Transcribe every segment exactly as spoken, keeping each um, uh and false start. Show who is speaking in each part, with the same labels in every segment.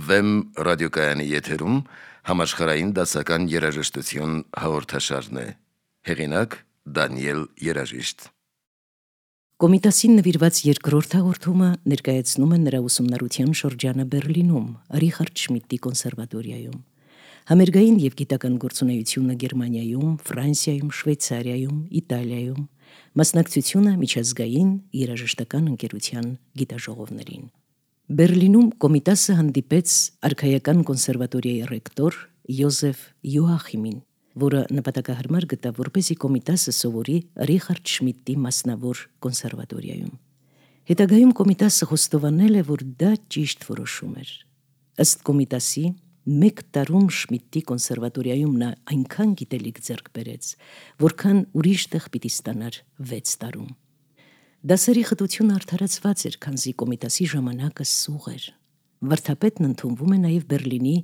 Speaker 1: Վեմ ռադիոկայանի եթերում համաշխարհային դասական երաժշտություն հաղորդաշարն է։ Հեղինակ Դանիել Երաժիշտ։
Speaker 2: Կոմիտասին նվիրված երկրորդ հաղորդումը ներկայացնում է նրա ուսումնառության շրջանը Բերլինում, Ռիխարդ Շմիդտի կոնսերվատորիայում։ Համերգային և գիտական գործունեությունը Գերմանիայում, Ֆրանսիայում, Շվեյցարիայում, Իտալիայում, մասնակցությունը միջազգային երաժշտական ընկերության գիտաժողովներին։ Բերլինում Կոմիտասը հանդիպեց արքայական կոնսերվատորիայի ռեկտոր Յոզեֆ Յոախիմին, որը նպատակահարմար գտավ, որպեսզի Կոմիտասը սովորի Ռիխարդ Շմիդտի մասնավոր կոնսերվատորիայում։ Հետագայում Կոմիտասը խոստովանել է, որ դա ճիշտ որոշում էր։ Ըստ Կոմիտասի, մեկ տարում Շմիդտի կոնսերվատորիայում նա այնքան գիտելիք ձեռք բերեց, որքան ուրիշ տեղ պիտի ստանար վեց տարում։ Դասերի խտությունը արդարացված էր, քանզի Կոմիտասի ժամանակը սուղ էր։ Վարդապետն ընդունվում է նաև Բերլինի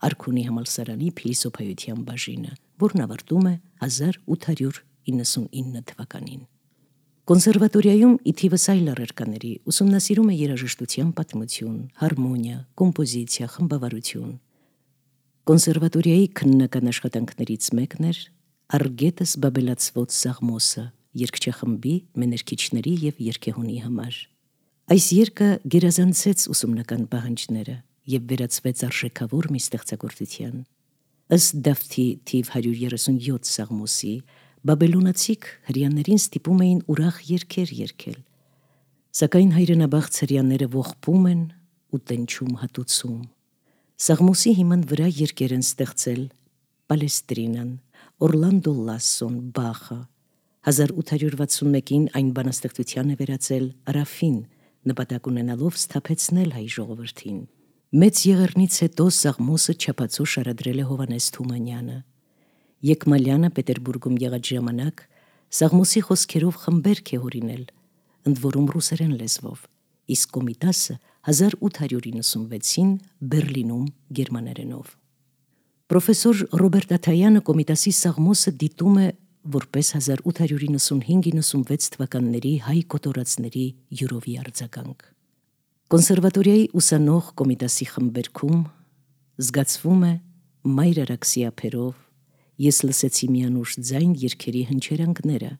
Speaker 2: Արքունի համալսարանի փիլիսոփայության բաժինը, որն ավարտում է հազար ութ հարյուր իննսունինը թվականին։ Կոնսերվատորիայում ի թիվս այլ առարկաների ուսումնասիրում է երաժշտության պատմություն, հարմոնիա, կոմպոզիցիա, խմբավարություն։ Կոնսերվատորիայի քննական աշխատանքներից մեկն էր «Արգետս բաբելացվոց Սաղմոսը» երգչախմբի, մեներքիչների և երգեհոնի համար։ Այս երգը գերազանցեց ուսումնական պահանջները և վերածվեց արժեքավոր մի ստեղծագործության։ Ըստ Դավթի թիվ հարյուր երեսունյոթ Սաղմոսի, բաբելոնացիք հրեաներին ստիպում էին ուրախ երգեր երգել, սակայն հայրենաբաղց հրեաները ողբում են ու տնչում հատուցում։ Սաղմոսի հիման վրա երգեր են ստեղծել Պալեստրինան, Օրլանդո Լասսոն, Բախը։ հազար ութ հարյուր վաթսունմեկին այն բանաստեղծության է վերածել Ռաֆին, նպատակ ունենալով սթափեցնել հայ ժողովրդին։ Մեծ եղեռնից հետո Սաղմոսը չափածո շարադրել է Հովհաննես Թումանյանը։ Եկմալյանը Պետերբուրգում եղած ժամանակ Սաղմոսի խոսքերով խմբերք է հորինել, ընդ որում ռուսերեն լեզվով, իսկ Կոմիտասը հազար ութ հարյուր իննսունվեցին Բերլինում գերմաներենով։ Պրոֆեսոր Ռոբերտ Աթայանը Կոմիտասի Սաղմոսը դիտում է որպես հազար ութ հարյուր իննսունհինգ իննսունվեց թվականների հայ կոտորածների յուրովի արձագանք։ Կոնսերվատորիայի ուսանող Կոմիտասի խմբերքում զգացվում է «Մայր Արաքսի ափերով», «Ես լսեցի մի անուշ ձայն» երգերի հնչերանգները,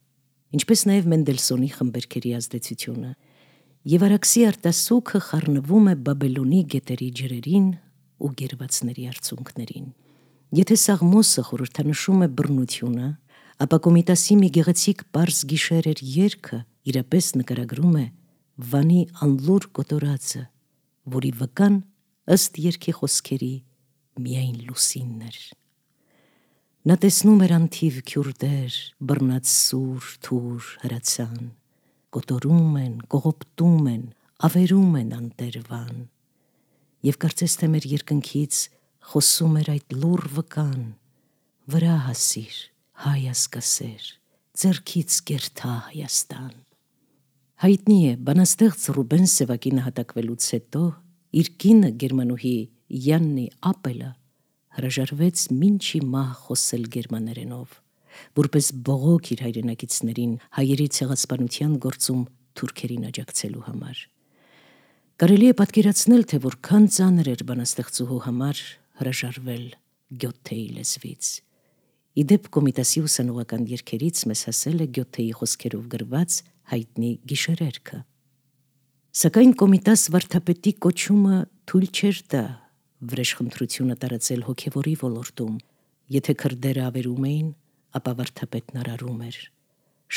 Speaker 2: ինչպես նաև Մենդելսոնի խմբերքերի ազդեցությունը, և Արաքսի արտասուքը խառնվում է Բաբելոնի գետերի ջրերին ու գերվածների արցունքներին։ Եթե Սաղմոսը խորհրդանշում է բռնությունը, ապա Կոմիտասի մի գեղեցիկ պարզ գիշեր էր երգը իրապես նկարագրում է Վանի անլուր կոտորածը, որի վկան ըստ երգի խոսքերի միայն լուսինն էր։ Նա տեսնում էր անթիվ քյուրդեր, բռնած սուր, թուր հրացան, կոտորում են, կողոպտում են, ավերում են անտեր Վան, և կարծես թե մեր երկնքից խոսում էր այդ լուռ վկան. վրա հասիր, հայ ասկասեր, ձեռքից կերթա Հայաստան։ Հայտնի է, բանաստեղծ Ռուբեն Սևակի նահատակվելուց հետո իր կինը գերմանուհի Յաննի Ապելը հրաժարվեց մինչի մահ խոսել գերմաներենով, որպես բողոք իր հայրենակիցներին հայերի ցեղասպանության գործում թուրքերին աջակցելու համար։ Կարելի է պատկերացնել, թե որքան ծանր էր բանաստեղծուհու համար հրաժարվել Գյոթեի լեզվից։ Ի դեպ Կոմիտասի ուսանողական երգերից մեզ հասել է Գյոթեի խոսքերով գրված հայտնի գիշերերգը։ Սակայն Կոմիտաս վարդապետի կոչումը թույլ չէր տա վրեժխնդրությունը տարածել հոգևորի ոլորտում։ Եթե քրդերը ավերում էին, ապա վարդապետն արարում էր,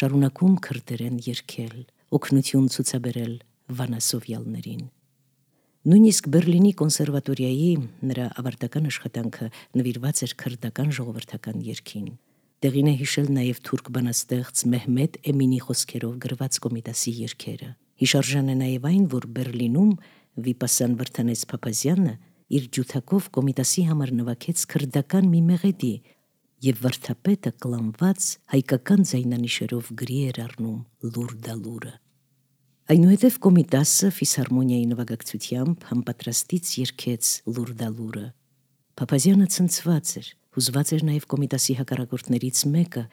Speaker 2: շարունակում քրդերեն երգել, օգնություն ցուցաբերել վանասովյալներին։ Նույնիսկ Բերլինի կոնսերվատորիայի նրա ավարտական աշխատանքը նվիրված էր քրդական ժողովրդական երգին։ Տեղին է հիշել նաև թուրք բանաստեղծ Մեհմեդ Էմինի խոսքերով գրված Կոմիտասի երգերը։ Հիշարժան է նաև այն, որ Բերլինում Վիպասան Վրդանես Փափազյանը իր ջութակով Կոմիտասի համար նվագեց քրդական մի մեղեդի, և վարդապետը կլանված հայկական ձայնանիշերով գրի էր առնում լուր-դալուրը։ Այնուհետև Կոմիտասը ֆիսհարմոնիայի նվագակցությամբ համապատրաստից երգեց լուր-դալուրը։ Փափազյանը ցնցված էր, հուզված էր նաև Կոմիտասի հակառակորդներից մեկը,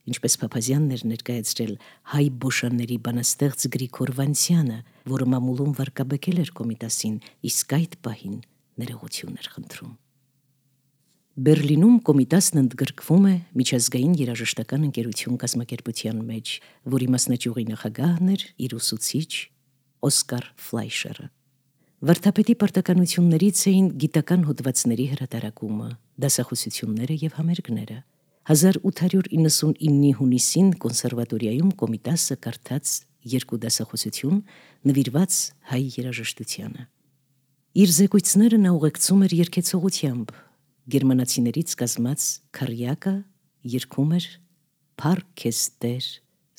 Speaker 2: ինչպես Փափազյանն էր ներկայացրել հայ բոշանների բանաստեղծ Գրիգոր Վանցյանը, որը մամուլում վարկաբեկել էր Կոմիտասին, իսկ այդ պահին ներողություն էր խնդրում։ Բերլինում Կոմիտասն ընդգրկվում է միջազգային երաժշտական ընկերություն կազմակերպության մեջ, որի մասնաճյուղի նախագահն էր իր ուսուցիչ Օսկար Ֆլայշերը։ Վարդապետի պարտականություններից էին գիտական հոդվածների հրատարակումը, դասախոսությունները և համերգները։ հազար ութ հարյուր իննսունինի հունիսին կոնսերվատորիայում Կոմիտասը կարդաց երկու դասախոսություն նվիրված հայ երաժշտությանը։ Իր զեկույցները նա ուղեկցում էր երգեցողությամբ, գերմանացիներից կազմած քարյակը երգում էր «Փառք ես Տեր,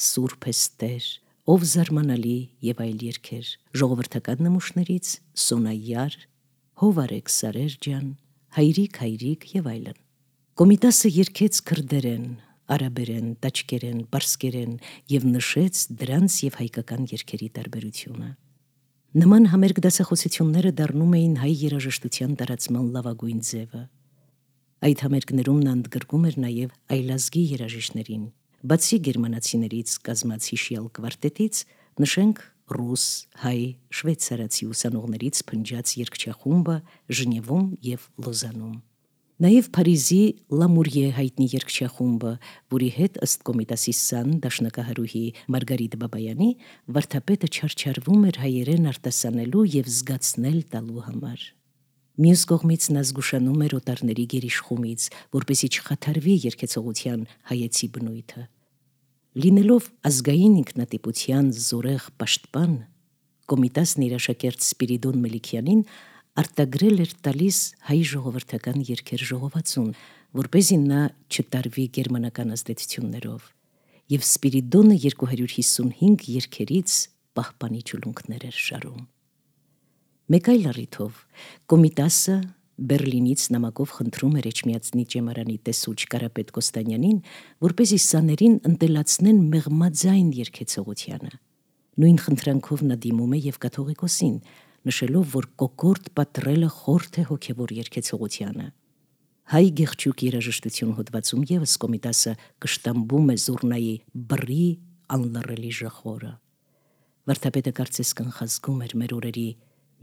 Speaker 2: Սուրբ ես Տեր, ով զարմանալի» և այլ երգեր, ժողովրդական նմուշներից «Սոնայար», «Հով արեք Սարեր ջան», «Հայրիկ, հայրիկ» և այլն։ Կոմիտասը երգեց քրդերեն, արաբերեն, տաճկերեն, պարսկերեն և նշեց դրանց և հայկական երգերի տարբերությունը։ Նման համերգ դասախոսությունները դառնում էին հայ երաժշտության տարածման լավագույն ձևը։ Այդ համերգներում նա ընդգրկում էր նաև այլազգի երաժիշտներին, բացի գերմանացիներից կազմած հիշյալ կվարտետից, նշենք ռուս, հայ, շվեյցարացի ուսանողներից փնջած երգչախումբը Ժնևում և Լոզանում։ Նաև Փարիզի Լամուրիե հայտնի երգչախումբը, որի հետ ըստ Կոմիտասի սան դաշնակահարուհի Մարգարիտ Բաբայանի վարդապետը չարչարվում էր հայերեն արտասանելու և զգացնել տալու համար։ Մյուս կողմից նա զգուշանում էր օտարների գերիշխումից, որպեսզի չխաթարվի երգեցողության հայեցի բնույթը։ Լինելով ազգային ինքնատիպության զորեղ պաշտպան, Կոմիտասն իր աշակերտ Սպիրիդոն Մելիքյանին արտագրել էր տալիս հայ ժողովրդական երգեր ժողովածուն, որպեսզի նա չտարվի գերմանական ազդեցություններով, և Սպիրիդոնը երկու հարյուր հիսունհինգ երգերից պահպանի ճուլունքներ էր շարում։ Մեկ այլ առիթով Կոմիտասը Բերլինից նամակով խնդրում էր Էջմիածնի ճեմարանի տեսուչ Կարապետ Կոստանյանին, որպեսզի սաներին ընտելացնեն մեղմաձայն երգեցողությանը։ Նույն խնդրանքով նա դիմում է և կաթողիկոսին, նշելով, որ կոկորդ պատռելը խորթ է հոգևոր երգեցողությանը։ Հայ գեղչուկ երաժշտություն հոդվածում ևս Կոմիտասը կշտամբում է զուռնայի բռի անլռելի ժխորը։ Վարդապետը կարծես կանխազգում էր մեր օրերի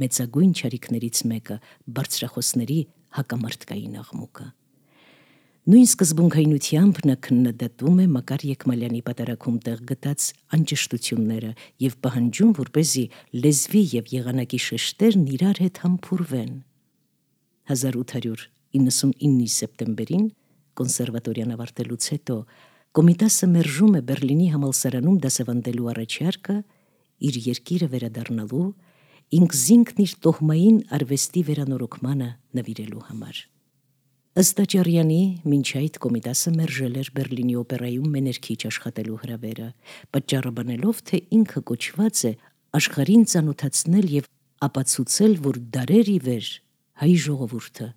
Speaker 2: մեծագույն չարիքներից մեկը բարձրախոսների հակամարտկային աղմուկը։ Նույն սկզբունքայնությամբ նա քննադատում է Մակար Եկմալյանի պատարագում տեղ գտած անճշտությունները և պահանջում, որպեսզի լեզվի և եղանակի շեշտերն իրար հետ համբուրվեն։ հազար ութ հարյուր իննսունինի սեպտեմբերին կոնսերվատորիան ավարտելուց հետո Կոմիտասը մերժում է Բերլինի համալսարանում դասավանդելու առաջարկը իր երկիրը վերադառնալու, ինքզինքն իր տոհմային արվեստի վերանորոգմանը նվիրելու համար։ Ըստ Աճարյանի, մինչ այդ Կոմիտասը մերժել էր Բերլինի օպերայում մեներքիչ աշխատելու հրավերը, պատճառը բանելով, թե ինքը կոչված է աշխարհին ծանոթացնել և ապացուցել, որ դարեր ի վեր հայ ժողովուրդը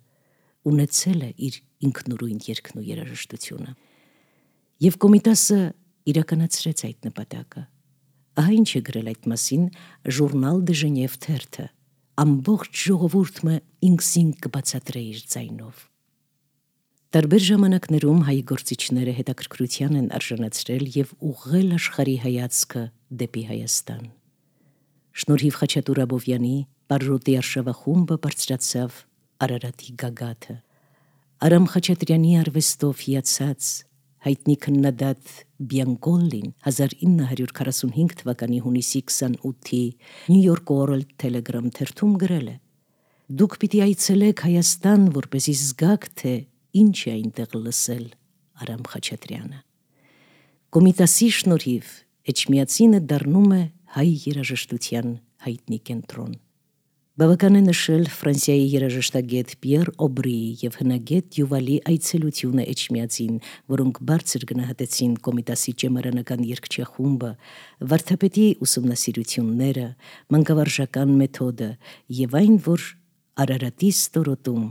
Speaker 2: ունեցել է իր ինքնուրույն երգն ու երաժշտությունը։ Եվ Կոմիտասը իրականացրեց այդ նպատակը։ Ահա ինչ է գրել այդ մասին Ժուրնալ դե Ժնև թերթը. ամբողջ ժողովուրդը ինքզինք կբացատրե իր ձայնով։ Տարբեր ժամանակներում հայ գործիչները հետաքրքրության են արժանացրել և ուղղել աշխարհի հայացքը դեպի Հայաստան։ Շնորհիվ Խաչատուր Աբովյանի Պարրոտի արշավախումբը բարձրացավ Արարատի գագաթը։ Արամ Խաչատրյանի արվեստով հիացած հայտնի քննադատ Բիանկոլին հազար ինը հարյուր քառասունհինգ թվականի հունիսի քսանութի New York World Telegram թերթում գրել է. «Դուք պիտի այցելեք Հայաստան, որպեսզի զգաք, թե ինչ է այնտեղ լսել Արամ Խաչատրյանը»։ Կոմիտասի շնորհիվ Էջմիածինը դառնում է հայ երաժշտության հայտնի կենտրոն։ Բավական է նշել Ֆրանսիայի երաժշտագետ Պիեր Օբրիի և հնագետ Յուվալի այցելությունը Էջմիածին, որոնք բարձր գնահատեցին Կոմիտասի ճեմարանական երգչախումբը, վարդապետի ուսումնասիրությունները, մանկավարժական մեթոդը և այն, որ Արարատի ստորոտում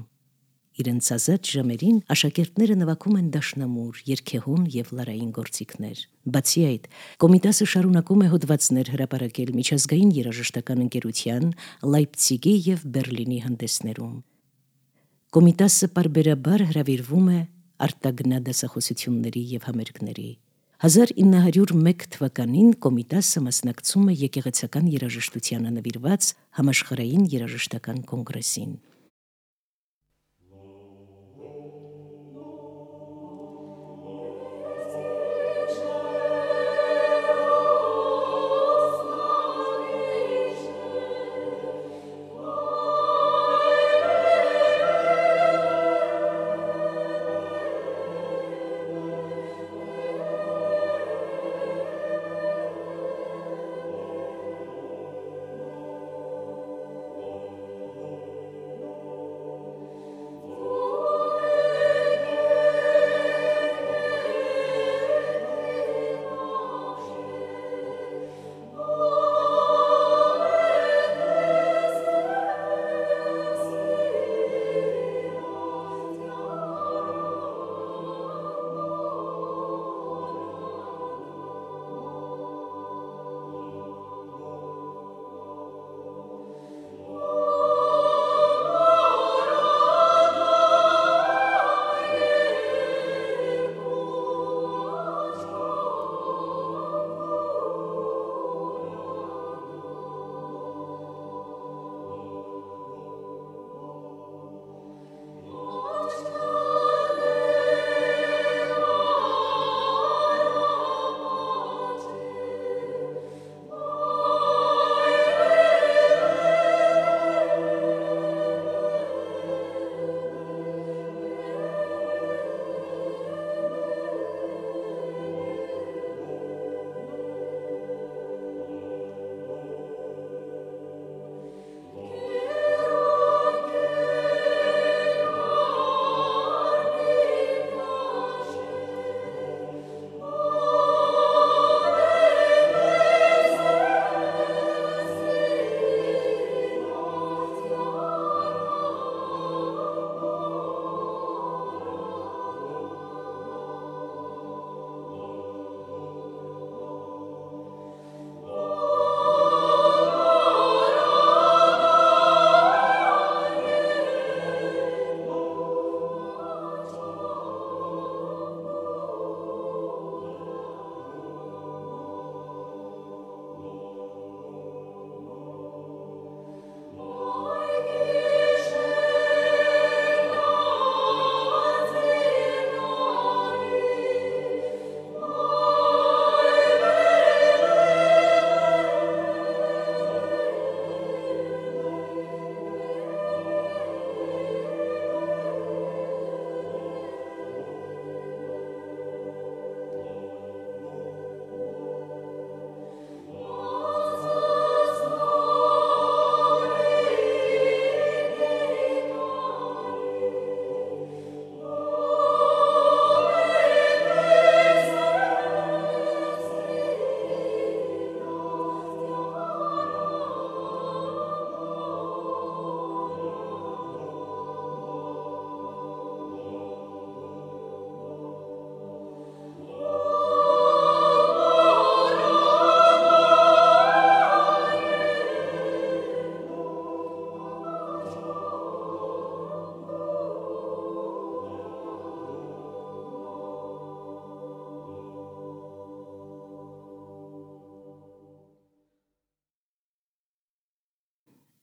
Speaker 2: իրենց ազատ ժամերին աշակերտները նվագում են դաշնամուր, երգեհոն և լարային գործիքներ։ Բացի այդ, Կոմիտասը շարունակում է հոդվածներ հրապարակել միջազգային երաժշտական ընկերության, Լայպցիգի և Բերլինի հանդեսներում։ Կոմիտասը պարբերաբար հրավիրվում է արտագնա դասախոսությունների և համերգների։ հազար ինը հարյուր մեկ թվականին Կոմիտասը մասնակցում է եկեղեցական երաժշտությանը նվիրված համաշխարհային երաժշտական կոնգրեսին։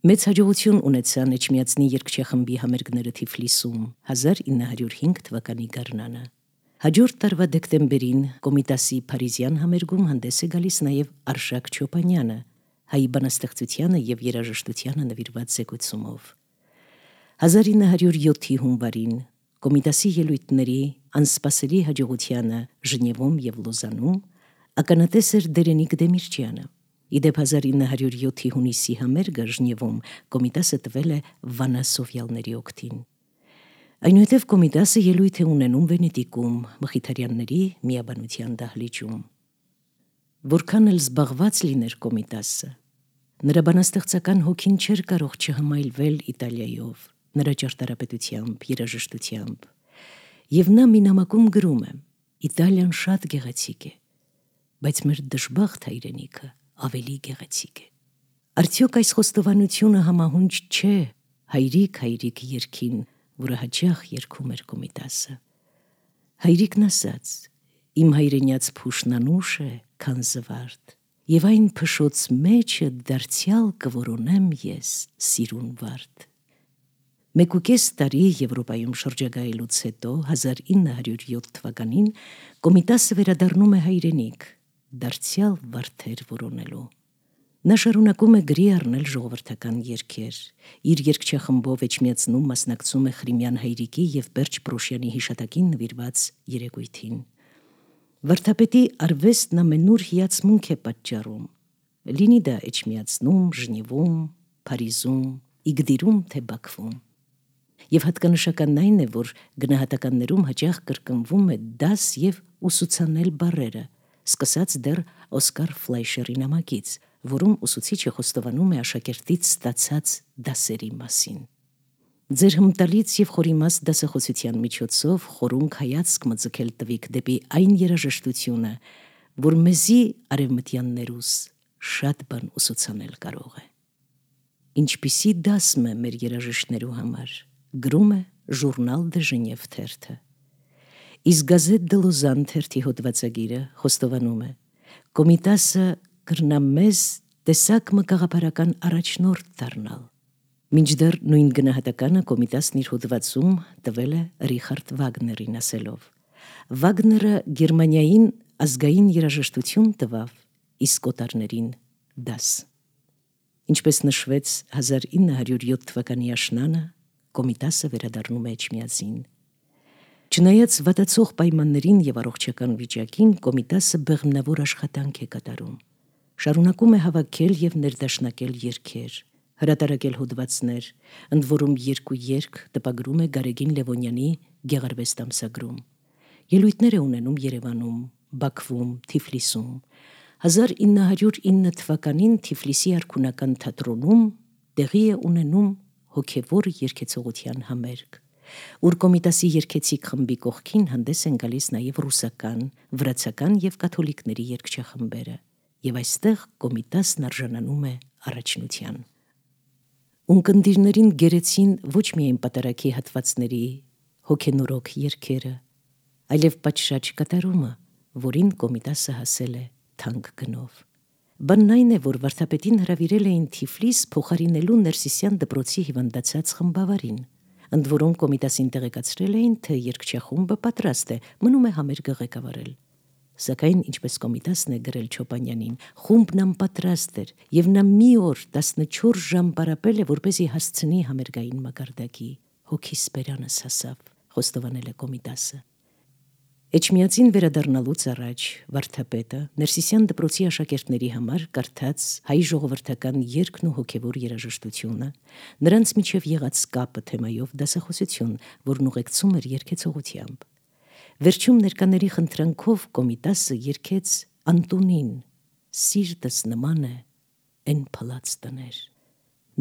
Speaker 2: Մեծ հաջողություն ունեցան Էջմիածնի երգչախմբի համերգները Թիֆլիսում հազար ինը հարյուր հինգ թվականի գարնանը։ Հաջորդ տարվա դեկտեմբերին Կոմիտասի Փարիզյան համերգում հանդես է գալիս նաև Արշակ Չոպանյանը, հայ բանաստեղծությանը եւ երաժշտությանը նվիրված զեկույցումով։ հազար ինը հարյուր յոթի հունվարին Կոմիտասի ելույթների անսպասելի հաջողությանը Ժնևում եւ Լոզանում ականատես էր Դերենիկ Դեմիրճյանը։ Իդեպ հազար ինը հարյուր յոթի հունիսի համերգը Ժնևում Կոմիտասը տվել է Վանա Սովյալների օգտին։ Այնուհետև Կոմիտասը ելույթ է ունենում Վենետիկում, Մխիթարյանների միաբանության դահլիճում։ Որքան էլ զբաղված լիներ Կոմիտասը, նրա բանաստեղծական հոգին չէր կարող չհմայլվել Իտալիայով, նրա ճարտարապետությամբ, երաժշտությամբ։ Եվ նա մի նամակում գրում է. «Իտալիան շատ գեղեցիկ է, բայց մեր դժբախտ հայրենիքը ավելի գեղեցիկ է»։ Արդյոք այս խոստովանությունը համահունչ չէ հայրիկ հայրիկ երգին, որը հաճախ երգում էր Կոմիտասը։ Հայրիկն ասաց. «Իմ հայրենյաց փուշն անուշ է, քան զվարթ, եւ այն փշոց մեջը դարձյալ կորոնեմ ես սիրուն վարդ»։ Մեկուկես տարի Եվրոպայում շրջագայելուց հետո հազար ինը հարյուր յոթ թվականին Կոմիտասը վերադառնում է հայրենիք, դարձյալ վարդեր որոնելու։ Նա շարունակում է գրի առնել ժողովրդական երգեր։ Իր երգչախմբով Էջմիածնում մասնակցում է Խրիմյան հայրիկի եւ Պերճ Պրոշյանի հիշատակին նվիրված երեկույթին։ Վարդապետի արվեստն ամենուր հիացմունք է պատճառում, լինի դա Էջմիածնում, Ժնևում, Փարիզում, Իգդիրում թե Բաքվում։ Եվ հատկանշականն այն է, որ գնահատականներում հաճախ կրկնվում է դաս եւ ուսուցանել բառերը, սկսած դեռ Օսկար Ֆլայշերի նամակից, որում ուսուցիչը խոստովանում է աշակերտից ստացած դասերի մասին։ Ձեր հմտալից եւ խորիմաստ դասախոսության միջոցով խորունկ հայացք մձգել տվիք դեպի այն երաժշտությունը, որ մեզի արևմտյաններուս շատ բան ուսուցանել կարող է։ Ինչպիսի դասմ է մեր երաժիշտներու համար, գրում է Ժուրնալ դե Ժնև թերթը։ Իսկ Գազետ դե Լոզան թերթի հոդվածագիրը խոստովանում է. Կոմիտասը կրնա մեզ տեսակ մկաղապարական առաջնորդ դառնալ։ Մինչդեռ նույն գնահատականը Կոմիտասն իր հոդվածում տվել է Ռիխարդ Վագներին ասելով. Վագները Գերմանիային ազգային երաժշտություն տվավ, իսկ օտարներին դաս։ Ինչպես նշվեց հազար ինը հարյուր յոթ թվականի աշնանը, Կոմիտասը վերադառնում է Էջմիածին։ Չնայած վատացող պայմաններին եւ առողջական վիճակին, Կոմիտասը բեղմնավոր աշխատանք է կատարում։ Շարունակում է հավաքել եւ ներդաշնակել երգեր, հրատարակել հոդվածներ, ընդ որում երկու երգ տպագրում է Գարեգին Լևոնյանի Գեղարվեստ ամսագրում։ Ելույթներ է ունենում Երևանում, Բաքվում, Թիֆլիսում։ հազար ինը հարյուր ինը թվականին Թիֆլիսի արքունական թատրոնում տեղի է ունենում հոգևոր երգեցողության համերգ, ուր Կոմիտասի երգեցիկ խմբի կողքին հանդես են գալիս նաև ռուսական, վրացական եւ կաթոլիկների երգչախմբերը, եւ այստեղ Կոմիտասն արժանանում է առաջնության։ Ունկնդիրներին գերեցին ոչ միայն պատարագի հատվածների հոգենորոք երգերը, այլև պատշաճ կատարումը, որին Կոմիտասը հասել է թանկ գնով։ Բանն այն է, որ վարդապետին հրավիրել էին Թիֆլիս փոխարինելու Ներսիսյան դպրոցի հիվանդացած խմբավարին, ընդ որում Կոմիտասին տեղեկացրել էին, թե երգչախումբը պատրաստ է, մնում է համերգը ղեկավարել։ Սակայն, ինչպես Կոմիտասն է գրել Չոպանյանին, խումբն անպատրաստ էր, եւ նա մի օր տասնչորս ժամ պարապել է, որպեսզի հասցնի համերգային մակարդակի։ Հոգիս բերանս հասավ, խոստովանել է Կոմիտասը։ Էջմիածին վերադառնալուց առաջ վարդապետը Ներսիսյան դպրոցի աշակերտների համար կարդաց հայ ժողովրդական երգն ու հոգևոր երաժշտությունը, նրանց միջև եղած կապը թեմայով դասախոսություն, որն ուղեկցում էր երգեցողությամբ։ Վերջում ներկաների խնդրանքով Կոմիտասը երգեց Անտոնին, սիրտս նման է են փլած տներ։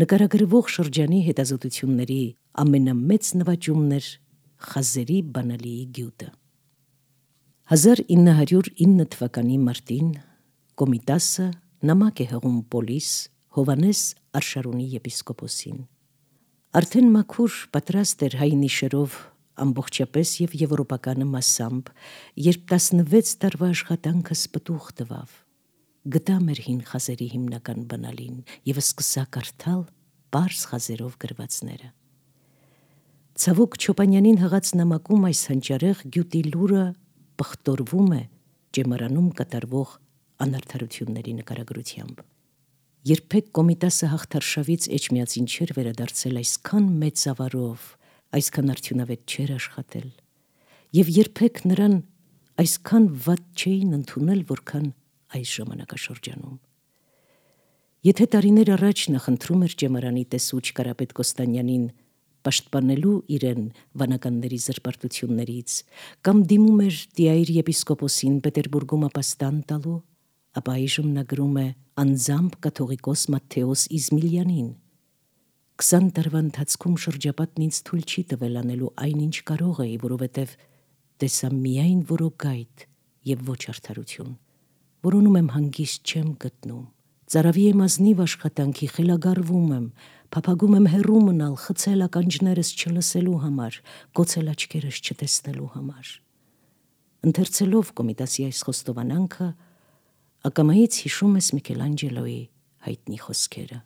Speaker 2: Նկարագրվող շրջանի հետազոտությունների ամենամեծ նվաճումն էր խազերի բանալիի գյուտը։ հազար ինը հարյուր ինը թվականի մարտին Կոմիտասը նամակ է հղում Պոլիս Հովանես Արշարունի եպիսկոպոսին։ Արդեն մաքուր պատրաստ էր հայ նիշերով ամբողջապես եւ եվրոպականը մասամբ, երբ տասնվեց տարվա աշխատանքը սպտուղ տվավ։ Գտա մեր հին խազերի հիմնական բանալին եւ սկսա կարդալ պարզ խազերով գրվածները։ Ցավոք Չոպանյանին հղած նամակում այս հանճարեղ գյուտի լուրը պղտորվում է ճեմարանում կատարվող անարդարությունների նկարագրությամբ։ Երբեք Կոմիտասը հաղթարշավից էջմիածին չէր վերադարձել այսքան մեծ ավարով, այսքան արդյունավետ չէր աշխատել, և երբեք նրան այսքան վատ չէին ընդունել, որքան այս ժամանակաշրջանում։ Եթե տարիներ առաջ նա խնդրում էր ճեմարանի տեսուչ Կարապետ Կոստանյանին պաշտպանելու իրեն վանականների զրպարտություններից կամ դիմում էր Տիայր եպիսկոպոսին Պետերբուրգում ապաստան տալու, ապա այժմ նա գրում է անձամբ կաթողիկոս Մատթեոս Իզմիլյանին. «Քսան տարվա ընթացքում շրջապատն ինձ թույլ չի տվել անելու այնինչ կարող էի, որովհետև տեսա միայն որոգայթ և ոչ արդարություն, որոնում եմ հանգիստ չեմ գտնում, ծարավի եմ ազնիվ աշխատանքի, խելագարվում եմ, փափագում եմ հեռու մնալ, խցել ականջներս չլսելու համար, կոցել աչքերս չտեսնելու համար»։ Ընթերցելով Կոմիտասի այս խոստովանանքը, ակամայից հիշում ես Միքելանջելոյի հայտնի խոսքերը.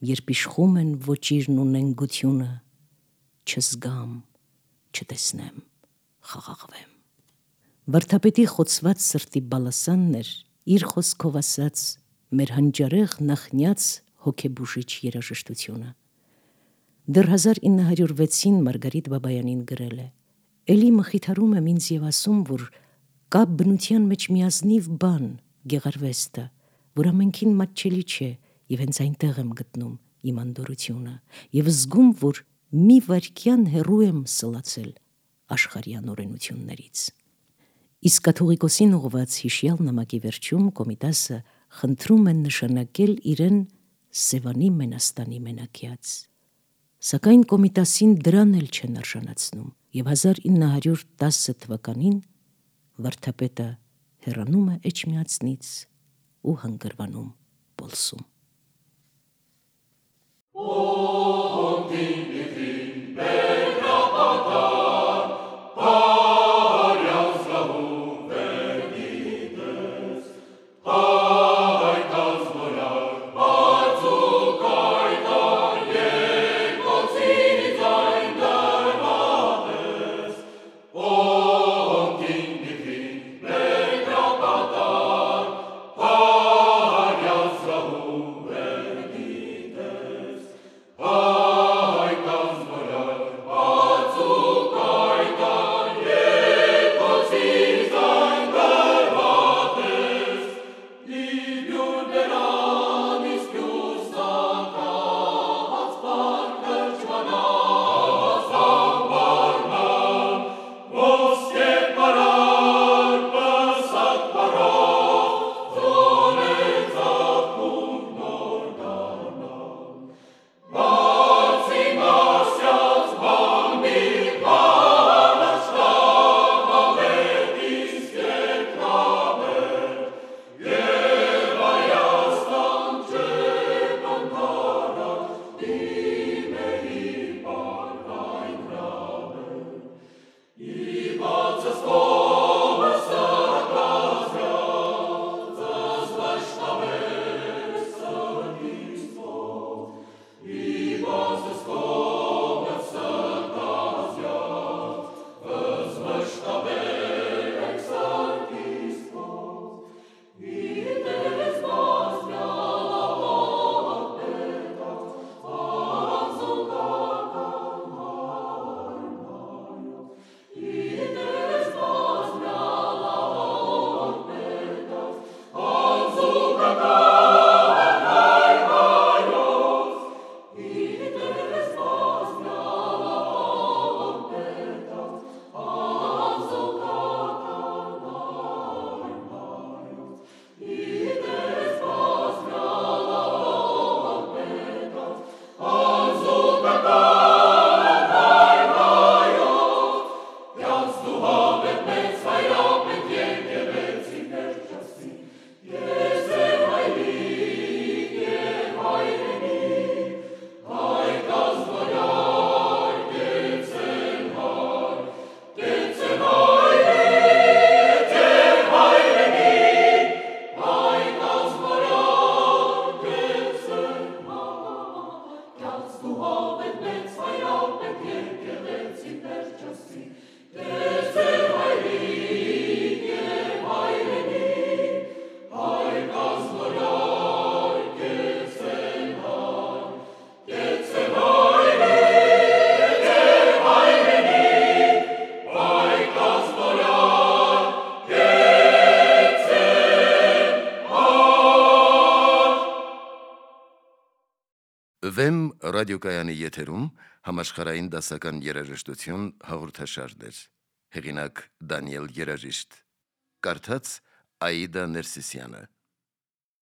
Speaker 2: «Երբ իշխում են ոճիրն ու նենգությունը, չզգամ, չտեսնեմ, խաղաղվեմ»։ Վարդապետի խոցված սրտի բալասանն էր իր խոսքով ասած մեր հանճարեղ նախնյաց հոգեբուժիչ երաժշտությունը։ Դեռ հազար ինը հարյուր վեցին Մարգարիտ Բաբայանին գրել է. «Էլի մխիթարում եմ ինձ և ասում, որ կա բնության մեջ մի ազնիվ բան, գեղարվեստը, որ ամենքին մատչելի չէ, և հենց այնտեղ եմ գտնում իմ անդորրությունը և զգում, որ մի վայրկյան հեռու եմ սլացել աշխարհի անօրենություններից»։ Իսկ կաթողիկոսին ուղղված հիշյալ նամակի վերջում Կոմիտասը խնդրում է նշանակել իրեն Սևանի մենաստանի մենակյաց։ Սակայն Կոմիտասին դրան էլ չեն արժանացնում, և հազար ինը հարյուր տասը թվականին վարդապետը հեռանում է Էջմիածնից ու հանգրվանում Պոլսում։
Speaker 3: Oh
Speaker 1: Վեմ ռադիոկայանի եթերում համաշխարհային դասական երաժշտություն հաղորդաշարներ։ Հեղինակ Դանիել Երաժիշտ։ Կարդաց Աիդա Ներսիսյանը։